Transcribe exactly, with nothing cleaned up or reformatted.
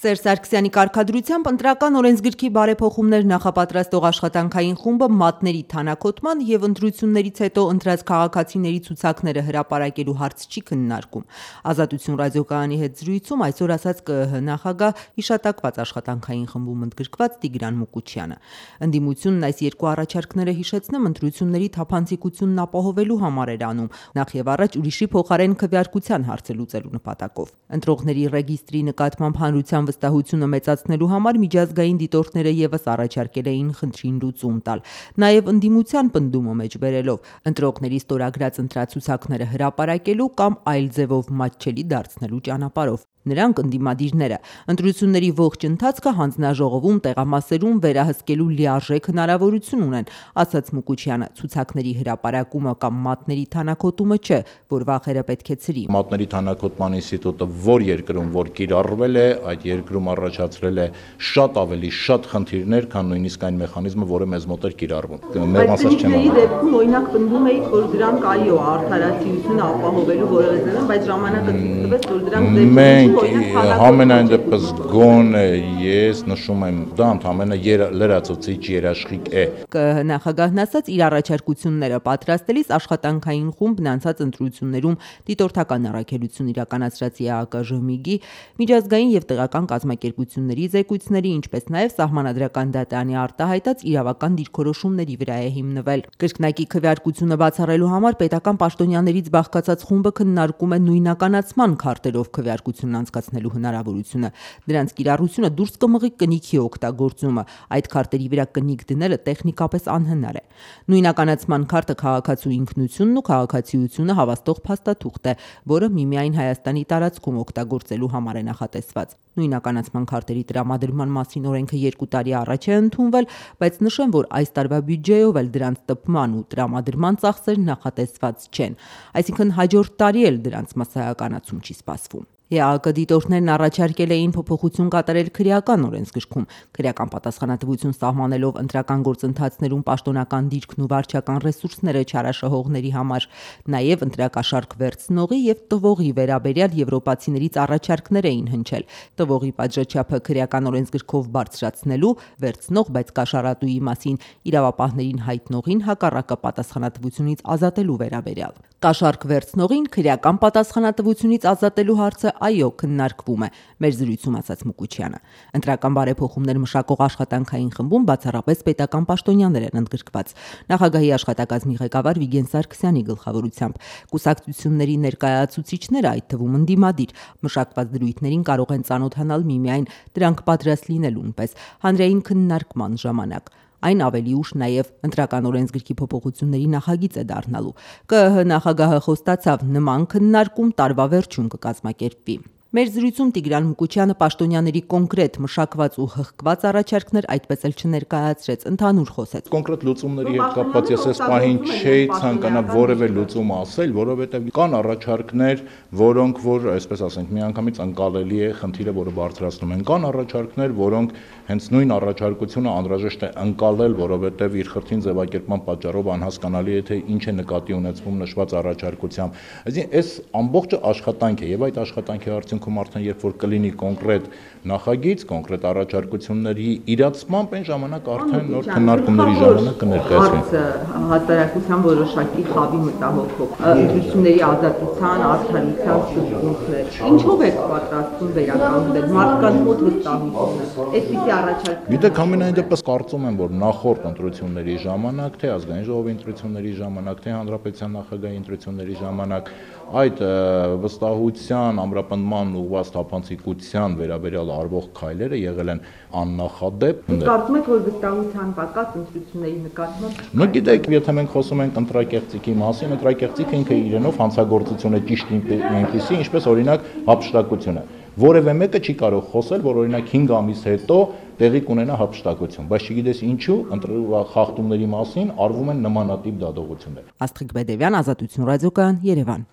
Սերժ Սարգսյանի կարգադրությամբ ընտրական օրենսգրքի բարեփոխումներ նախապատրաստող աշխատանքային խումբը մատների թանաքոտման և ընտրություններից հետո ընտրած քաղաքացիների ցուցակները հրապարակելու հարց չի քննարկում։ Ազատություն ռադիոկայանի հետ զրույցում այսօր ասաց Կ ԸՀ նախագահ հիշատակված աշխատանքային խմբում ընդգրկված Տիգրան Մուկուչյանը։ Ընդդիմությունն այս երկու առաջարկները հիշեցնեմ ընտրությունների թափանցիկությունն ապահովելու համար էր անում, նախ եւ առաջ ուրիշի փոխարեն քվեարկության հարցը լուծելու նպատակով։ Ընտրողների ռեգիստրի նկատմամբ հանրության վստահությունը մեծացնելու համար միջազգային դիտորդները եւս առաջարկել էին խնդրին լուծում տալ, նաեւ ընդդիմության պնդումը մեջ բերելով ընտրողների ստորագրած ընտրացուցակները հրապարակելու կամ այլ ձևով մատչելի դարձնելու ճանապարհով։ Նրանք ընդդիմադիրները ընտրությունների ողջ ընթացքը հանձնաժողովում տեղամասերում վերահսկելու լիարժեք հնարավորություն ունեն, ասաց Մուկուչյանը, ցուցակների հրապարակումը կամ մատների թանաքոտումը չէ, որ վախերը պետք է ցրի։ Մատների թանաքոտման ինստիտուտը որ երկրում որ կիրառվել է, այդ երկրում առաջացրել է շատ ավելի շատ խնդիրներ, քան նույնիսկ այն մեխանիզմը, որը մեզ մոտ էր կիրառվում։ Մեր ասած չեմ ասում։ Դեպքում օրինակ պնդում էիք, որ դրանք այո, արդարացիությունը ապահովելու որևէ ձև, բայց ժամանակը ցույց տվեց, որ դրանք Համենայն դեպս գոնե ես նշում եմ դա ընդհանրապես լրացուցիչ երաշխիք է։ Կ ԸՀ նախագահն ասաց իր առաջարկությունները պատրաստելիս աշխատանքային խումբն անցած ընտրություններում դիտորդական առաքելություն իրականացրած Է Ա Կը Ժմիգի, միջազգային եւ տեղական կազմակերպությունների զեկույցների, ինչպես նաեւ սահմանադրական դատարանի արտահայտած իրավական դիրքորոշումների վրա է հիմնվել։ Կրկնակի քվեարկությունը բացառելու համար պետական պաշտոնյաներից բաղկացած խումբը քննարկում է նույնականացման քարտերով քվեարկություն անցկացնելու հնարավորությունը, դրանց կիրառությունը դուրս կմղի կնիքի օգտագործումը, այդ քարտերի վրա կնիք դնելը տեխնիկապես անհնար է։ Նույնականացման քարտը քաղաքացու ինքնությունն ու քաղաքացիությունը հավաստող փաստաթուղթ է, որը միմիայն Հայաստանի տարածքում օգտագործելու համար է նախատեսված։ Նույնականացման քարտերի տրամադրման մասին օրենքը երկու տարի առաջ է ընդունվել, բայց նշեմ, որ այս տարվա բյուջեով էլ դրանց տպման ու տրամադրման ծախսեր նախատեսված չեն, այսինքն հաջորդ տարի էլ դրանց մասսայականացում չի սպասվում։ Է Ա Կը դիտորդներն առաջարկել էին փոփոխություն կատարել քրեական օրենսգրքում, քրեական պատասխանատվություն սահմանելով ընտրական գործընթացներում պաշտոնական դիրքն ու վարչական ռեսուրսները չարաշահողների համար, նաև ընտրակաշառք վերցնողի եւ տվողի վերաբերյալ եվրոպացիներից առաջարկներ էին հնչել, տվողի պատժաչափը քրեական օրենսգրքով բարձրացնելու, վերցնող, բայց կաշառատուի մասին իրավապահներին հայտնողին հակառակը պատասխանատվությունից ազատելու վերաբերյալ։ Կաշառք վերցնողին քրեական պատասխանատվությունից ազատելու հարցը այո քննարկվում է, մեր զրույցում ասաց Մուկուչյանը։ Ընտրական բարեփոխումներ մշակող աշխատանքային խմբում բացառապես պետական պաշտոնյաներ են ընդգրկված։ Նախագահի աշխատակազմի ղեկավար Վիգեն Սարգսյանի գլխավորությամբ կուսակցությունների ներկայացուցիչները, այդ թվում ընդդիմադիր, մշակված դրույթներին կարող են ծանոթանալ միմիայն դրանք պատրաստ լինելուն պես հանրային քննարկման ժամանակ։ Այն ավելի ուշ նաև ընտրական օրենսգրքի փոփոխությունների նախագիծ է դառնալու։ Կ ԸՀ նախագահը խոստացավ նման քննարկում տարվա վերջում կկազմակերպվի։ Մեր զրույցում Տիգրան Մուկուչյանը պաշտոնյաների կոնկրետ մշակված ու հղկված առաջարկներ այդպես էլ չներկայացրեց, ընդհանուր խոսեց։ Կոնկրետ լուծումների հետ կապված ես այս պահին չէի ցանկանա որևէ լուծում ասել, որովհետև կան առաջարկներ, որոնք որ, այսպես ասենք, միանգամից ընկալելի է խնդիրը, որը բարձրացնում են։ Կան առաջարկներ, որոնք հենց նույն առաջարկությունը անհրաժեշտ է ընկալել, որովհետև իր խրթին ձևակերպման պատճառով անհասկանալի է թե ինչ է նկատի ունեցվում նշված առաջարկությամբ։ Այսինքն այս ամբողջը աշխատանք է եւ այդ աշխատանքի արդյունքում արդեն երբ որ կլինի կոնկրետ նախագիծ, կոնկրետ առաջարկությունների իրացմամբ այն ժամանակ արդեն նոր քննարկումների ժամանակ կներկայացվի։ Հասարակության որոշակի խավի մտահոգով ընտրությունների ազատության, արդարության սկզբունքներ։ Ինչով եք պատրաստվում վերականգնել մարդկանց մոտ վստահությունը։ Այսպիսի առաջարկ։ Գիտեք, ամենայն դեպս կարծում եմ, որ նախորդ ընտրությունների ժամանակ, թե ազգային ժողովի ընտրությունների ժամանակ, թե հանրապետության նախագահի ընտրությունների ժամանակ այդ վստահության ամրապնդման ուղղված թափանցիկության վերաբերյալ արվող քայլերը եղել են աննախադեպ։ Կարծում եք, որ վստահության պակաս ընտրությունների նկատմամբ։ Ну գիտեք, եթե մենք խոսում ենք ընտրակեղծիքի մասին, ընտրակեղծիքը ինքը իրենով հանցագործություն է ճիշտ այնպիսի, ինչպես օրինակ հափշտակությունը։ Որևէ մեկը չի կարող խոսել, որ օրինակ հինգ ամիս հետո տեղի կունենա հափշտակություն, բայց չգիտես ինչու խախտումների մասին արվում են նմանատիպ դատողություններ։ Աստղիկ Բեդևյան, Ազատություն ռադիոկայան, Երևան։